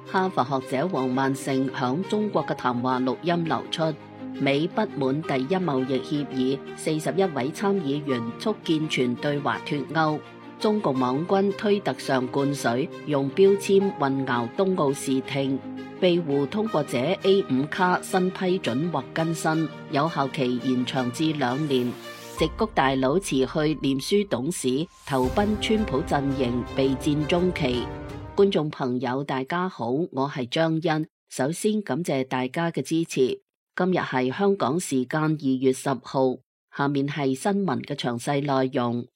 哈佛學者王萬成響中國嘅談話錄音流出，美不滿第一貿易協議，41位參議員促健全對華脫歐。中共網軍推特上灌水，用標籤混淆冬奧視聽。庇護通過者 A5 卡新批准或更新，有效期延長至2年。矽谷大佬辭去臉書董事，投奔川普陣營，備戰中期。觀眾朋友大家好，我係張欣，首先感謝大家嘅支持。今日係香港時間2月10號，下面係新聞嘅詳細內容。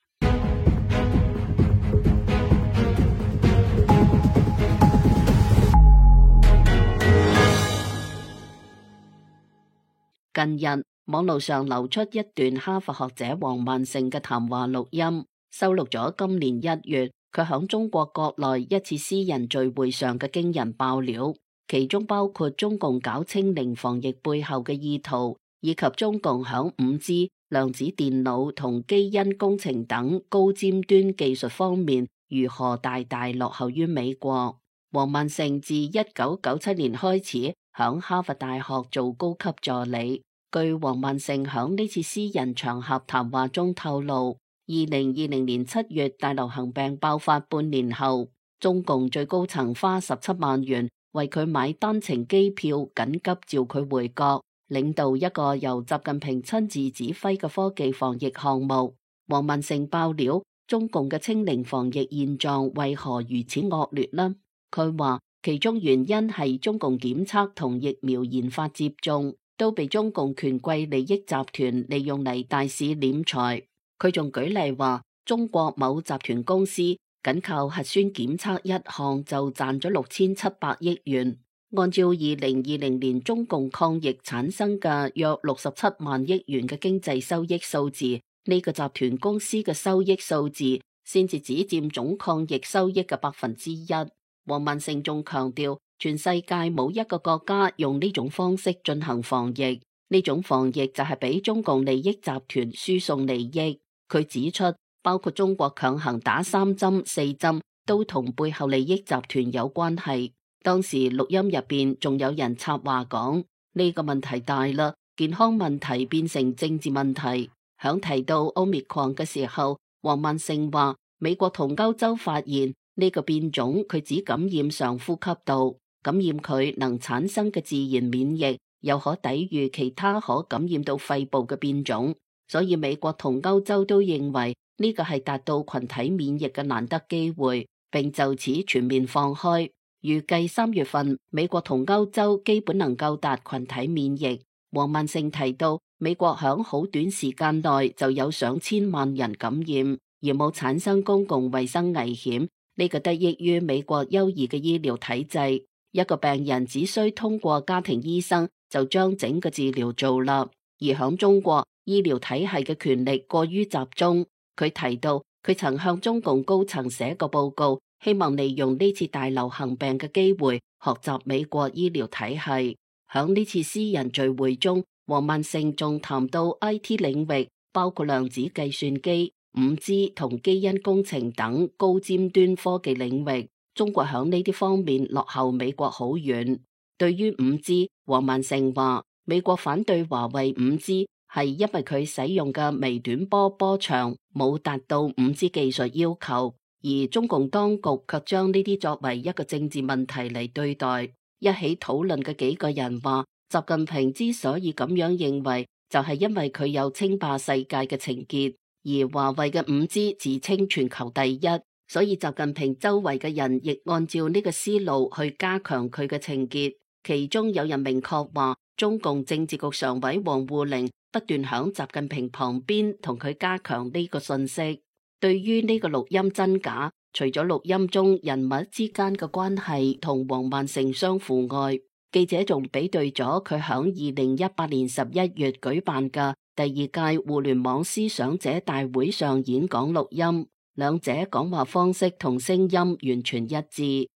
近日網絡上流出一段哈佛學者王萬成嘅談話錄音，收錄咗今年1月佢響中國國內一次私人聚會上嘅驚人爆料，其中包括中共搞清零防疫背後嘅意圖，以及中共響5G、量子電腦同基因工程等高尖端技術方面如何大大落後於美國。王萬成自1997年開始響哈佛大學做高級助理。據王萬成響呢次私人場合談話中透露，2020年7月大流行病爆發半年後，中共最高層花17萬元為佢買單程機票，緊急召佢回國，領導一個由習近平親自指揮嘅科技防疫項目。王萬成爆料，中共嘅清零防疫現狀為何如此惡劣呢？佢話其中原因係中共檢測同疫苗研發接種都被中共權貴利益集團利用嚟大肆斂財。佢仲舉例話，中國某集團公司僅靠核酸檢測一項就賺咗6700億元。按照2020年中共抗疫產生嘅約67萬億元嘅經濟收益數字，呢個集團公司嘅收益數字先至只佔總抗疫收益嘅1%。王萬成仲強調，全世界冇一個國家用呢種方式進行防疫，呢種防疫就係俾中共利益集團輸送利益。佢指出，包括中國強行打3針、4針，都同背後利益集團有關係。當時錄音入邊仲有人插話講，呢個問題大啦，健康問題變成政治問題。響提到 Omicron 嘅時候，王萬成話，美國同歐洲發現呢個變種佢只感染上呼吸道，感染佢能產生嘅自然免疫又可抵禦其他可感染到肺部嘅變種，所以美國同歐洲都認為呢個係達到群體免疫嘅難得機會，並就此全面放開。預計3月份美國同歐洲基本能夠達群體免疫。王萬成提到，美國響好短時間內就有上千萬人感染，而冇產生公共衛生危險。呢個得益於美國優異嘅醫療體制，一個病人只需通過家庭醫生就將整個治療做啦。而響中國，醫療體系嘅權力過於集中。佢提到，佢曾向中共高層寫過報告，希望利用呢次大流行病嘅機會學習美國醫療體系。響呢次私人聚會中，王萬成仲談到 IT 領域，包括量子計算機、5G 同基因工程等高尖端科技領域，中國響呢啲方面落後美國好遠。對於 5G， 王萬成話美國反對華為 5G 係因為佢使用嘅微短波波長冇達到 5G 技術要求，而中共當局卻將呢啲作為一個政治問題嚟對待。一起討論嘅幾個人話，習近平之所以咁樣認為，就係因為佢有稱霸世界嘅情結。而華為嘅 5G 自稱全球第一，所以習近平周圍嘅人亦按照呢個思路去加強佢嘅情結。其中有人明確話，中共政治局常委王滬寧不斷響習近平旁邊同佢加強呢個信息。對於呢個錄音真假，除咗錄音中人物之間嘅關係同王萬成相符外，記者仲比對咗佢響2018年11月舉辦嘅第2屆互聯網思想者大會上演講錄音，兩者講話方式同聲音完全一致。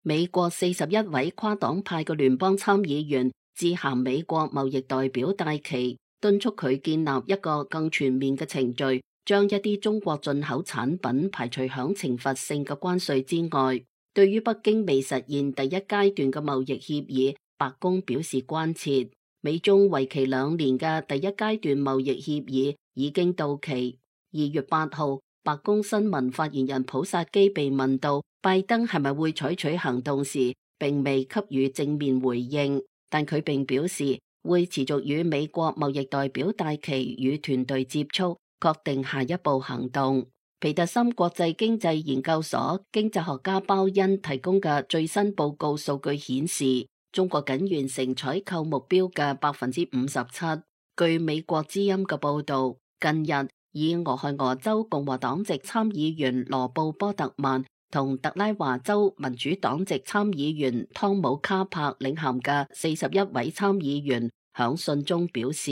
美國41位跨黨派嘅聯邦參議員致函美國貿易代表戴琪，敦促佢建立一個更全面嘅程序，將一啲中國進口產品排除響懲罰性嘅關稅之外。對於北京未實現第一階段嘅貿易協議，白宮表示關切。美中為期2年嘅第一階段貿易協議已經到期。2月8號，白宮新聞發言人普薩基被問到拜登係咪會採取行動時，並未給予正面回應，但佢並表示會持續與美國貿易代表戴琪與團隊接觸，確定下一步行動。皮特森國際經濟研究所經濟學家鮑恩提供嘅最新報告數據顯示，中國僅完成採購目標嘅57%。據美國之音嘅報道，近日以俄亥俄州共和黨籍參議員羅布波特曼同特拉華州民主黨籍參議員湯姆卡柏領銜嘅41位參議員響信中表示，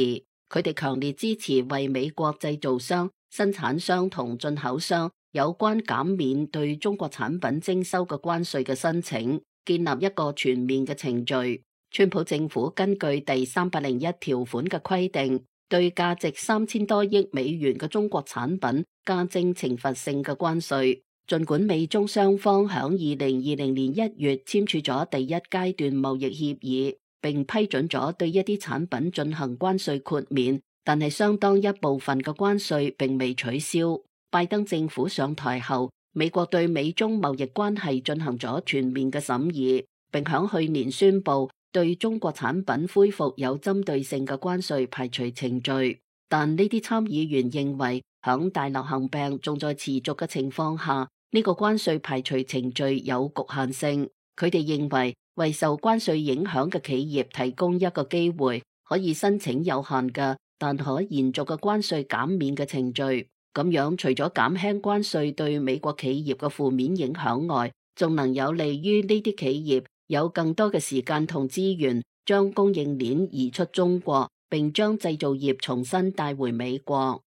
佢哋強烈支持為美國製造商、生產商同進口商有關減免對中國產品徵收嘅關稅嘅申請，建立一個全面嘅程序。川普政府根據第301條款嘅規定，對價值3000多億美元嘅中國產品加徵懲罰性嘅關稅。儘管美中雙方響2020年1月簽署咗第一階段貿易協議，並批准咗對一啲產品進行關稅豁免，但係相當一部分嘅關稅並未取消。拜登政府上台後，美國對美中貿易關係進行咗全面嘅審議，並響去年宣布對中國產品恢復有針對性嘅關稅排除程序。但呢啲參議員認為，響大流行病仲在持續嘅情況下，呢個關稅排除程序有局限性。佢哋認為，為受關稅影響嘅企業提供一個機會，可以申請有限嘅但可延續嘅關稅減免嘅程序。咁樣除咗減輕關稅對美國企業嘅負面影響外，仲能有利於呢啲企業有更多嘅時間同資源，將供應鏈移出中國，並將製造業重新帶回美國。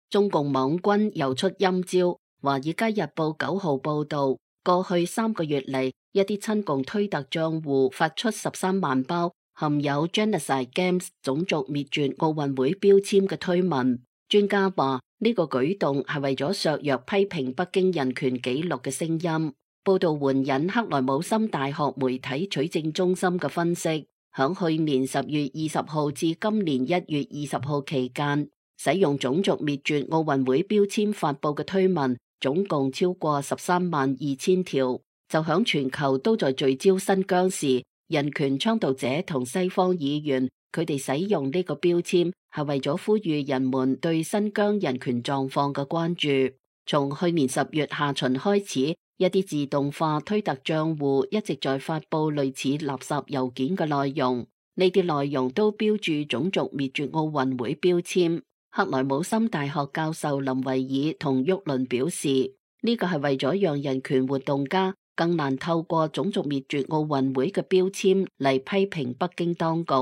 中共網軍又出陰招。華爾街日報9號報道，過去3個月嚟，一啲親共推特賬戶發出13萬包含有 Genocide Games 種族滅絕奧運會標籤嘅推文。專家話呢個舉動係為咗削弱批評北京人權紀錄嘅聲音。報道援引克萊姆森大學媒體取證中心嘅分析，響去年10月20號至今年1月20號期間，使用種族滅絕奧運會標籤發佈嘅推文總共超過13萬2千條。就響全球都在聚焦新疆時，人權倡導者同西方議員，佢哋使用呢個標籤係為咗呼籲人們對新疆人權狀況嘅關注。從去年10月下旬開始，一啲自動化推特賬戶一直在發佈類似垃圾郵件嘅內容，呢啲內容都標注種族滅絕奧運會標籤。克萊姆森大學教授林維爾同沃倫表示，呢個係為咗讓人權活動家更難透過種族滅絕奧運會嘅標籤嚟批評北京當局。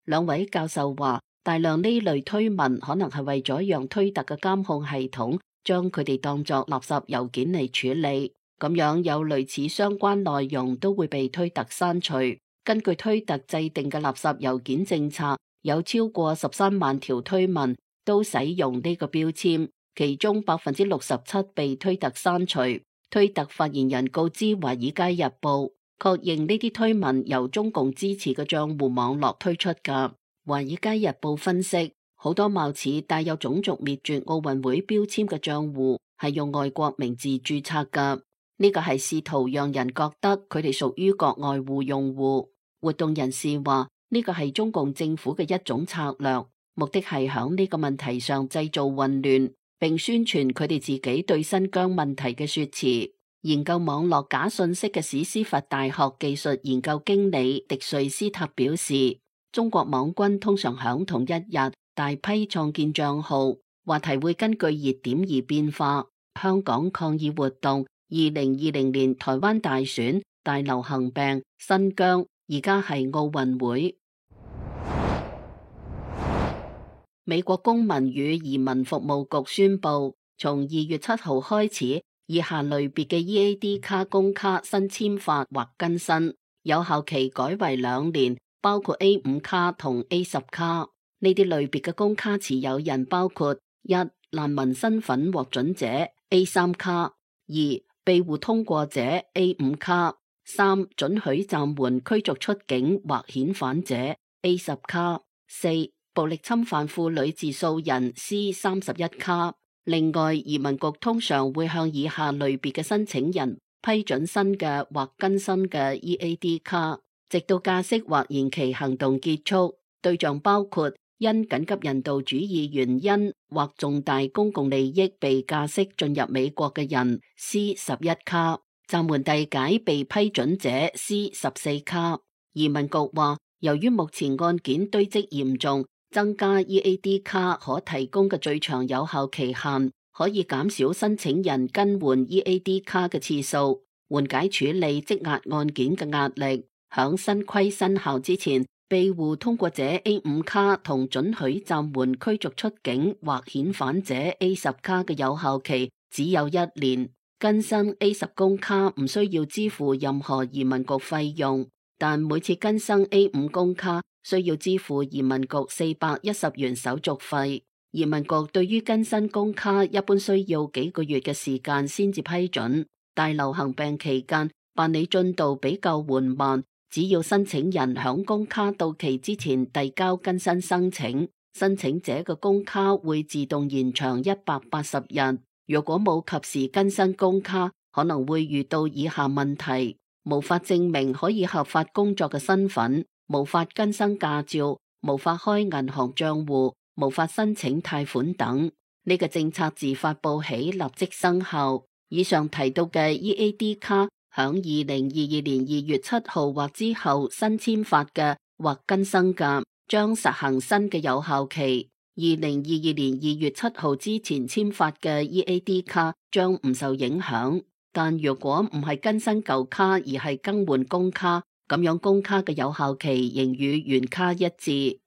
兩位教授話，大量呢類推文可能係為咗讓推特嘅監控系統將佢哋當作垃圾郵件嚟處理，咁樣有類似相關內容都會被推特刪除。根據推特制定嘅垃圾郵件政策，有超過13萬條推文都使用呢個標籤，其中67%被推特刪除。推特發言人告知華爾街日報，確認呢啲推文由中共支持嘅賬戶網絡推出㗎。華爾街日報分析，好多貌似帶有種族滅絕奧運會標籤嘅賬戶係用外國名字註冊㗎，呢個係試圖讓人覺得佢哋屬於國外戶用戶。活動人士話，呢個係中共政府嘅一種策略，目的係響呢個問題上製造混亂，並宣傳佢哋自己對新疆問題嘅說辭。研究網絡假信息嘅史斯佛大學技術研究經理迪瑞斯塔表示，中國網軍通常響同一日大批創建賬號，話題會根據熱點而變化。香港抗議活動、2020年台灣大選、大流行病、新疆，而家係奧運會。美國公民與移民服務局宣布，從2月7號開始，以下類別嘅 EAD 卡工卡新簽法或更新，有效期改為2年，包括 A5 卡同 A10 卡。呢啲類別嘅工卡持有人包括：一、難民身份獲准者 A3 卡；二、庇護通過者 A5 卡；三、准許暫緩驅逐出境或遣返者 A10 卡；四、暴力侵犯婦女自訴人 C31 卡。另外，移民局通常會向以下類別嘅申請人批准新嘅或更新嘅 EAD 卡，直到假釋或延期行動結束。對象包括因緊急人道主義原因或重大公共利益被假釋進入美國嘅人 C11 卡，暫緩遞解被批准者 C14 卡。移民局話，由於目前案件堆積嚴重，增加 EAD 卡可提供嘅最長有效期限，可以減少申請人更換 EAD 卡嘅次數，緩解處理積壓案件嘅壓力。響新規生效之前，庇護通過者 A5 卡同准許暫緩驅逐出境或遣返者 A10 卡嘅有效期只有1年。更新 A10 工卡唔需要支付任何移民局費用，但每次更新 A5 工卡需要支付移民局410元手續費。移民局對於更新工卡一般需要幾個月嘅時間先至批准。大流行病期間辦理進度比較緩慢，只要申請人響工卡到期之前遞交更新申請，申請者嘅工卡會自動延長180日。如果冇及時更新工卡，可能會遇到以下問題：無法證明可以合法工作嘅身份，無法更新駕照，無法開銀行賬戶，無法申請貸款等。呢個政策自發佈起立即生效。以上提到嘅 EAD 卡響2022年2月7號或之後新簽發嘅或更新嘅，將實行新嘅有效期。2022年2月7號之前簽發嘅 EAD 卡將唔受影響，但如果唔係更新舊卡而係更換工卡，咁樣工卡嘅有效期仍與原卡一致。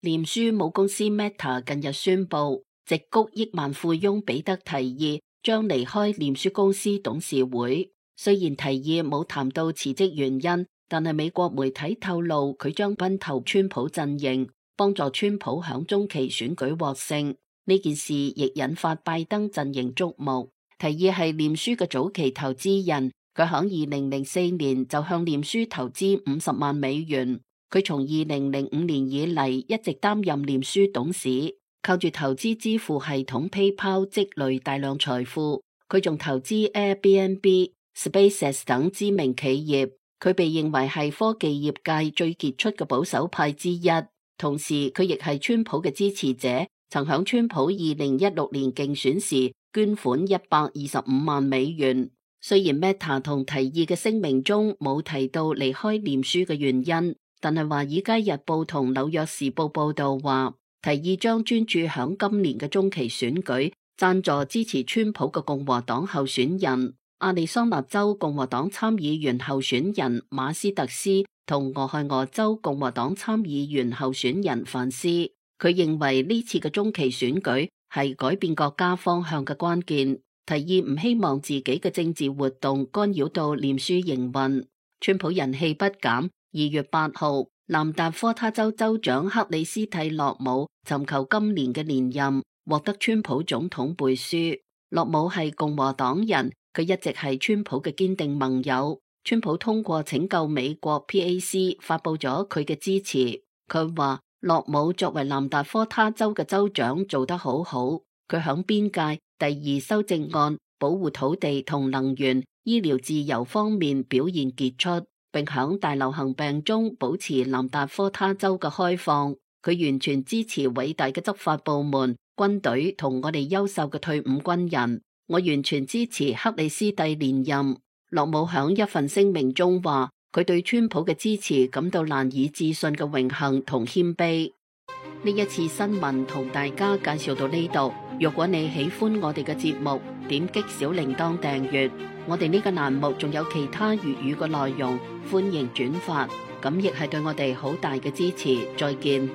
臉書母公司 Meta 近日宣布，矽谷億萬富翁彼得提議將離開臉書公司董事會。雖然提議冇談到辭職原因，但係美國媒體透露佢將奔投川普陣營，幫助川普響中期選舉獲勝。呢件事亦引發拜登陣營矚目。提議係臉書嘅早期投資人，佢響2004年就向臉書投資50萬美元。佢從2005年以嚟一直擔任臉書董事，靠住投資支付系統 PayPal 積累大量財富。佢仲投資 Airbnb、SpaceX 等知名企業。佢被認為係科技業界最傑出嘅保守派之一，同時佢亦係川普嘅支持者，曾響川普2016年競選時捐款125萬美元。雖然 Meta 同提議嘅聲明中冇提到離開臉書嘅原因，但係華爾街日報同紐約時報報道話，提議將專注響今年嘅中期選舉，贊助支持川普嘅共和黨候選人。亞利桑那州共和黨參議員候選人馬斯特斯同俄亥俄州共和黨參議員候選人范斯，佢認為呢次嘅中期選舉係改變國家方向嘅關鍵，提議唔希望自己嘅政治活動干擾到臉書營運。川普人氣不減，2月8號，南達科他州州長克里斯蒂洛姆尋求今年嘅連任，獲得川普總統背書。洛姆係共和黨人，佢一直係川普嘅堅定盟友。川普通過拯救美國 PAC 發佈咗佢嘅支持。佢話洛姆作為南達科他州嘅州長做得好好，佢響邊界、第2修正案、保護土地同能源、醫療自由方面表現傑出，並響大流行病中保持南達科他州嘅開放。佢完全支持偉大嘅執法部門、軍隊同我哋優秀嘅退伍軍人。我完全支持克里斯蒂連任。洛姆響一份聲明中話，佢對川普嘅支持感到難以置信嘅榮幸同謙卑。呢一次新聞同大家介紹到呢度。如果你喜歡我哋嘅節目，點擊小鈴鐺訂閱。我哋呢個欄目仲有其他粵語嘅內容，歡迎轉發，咁亦係對我哋好大嘅支持。再見。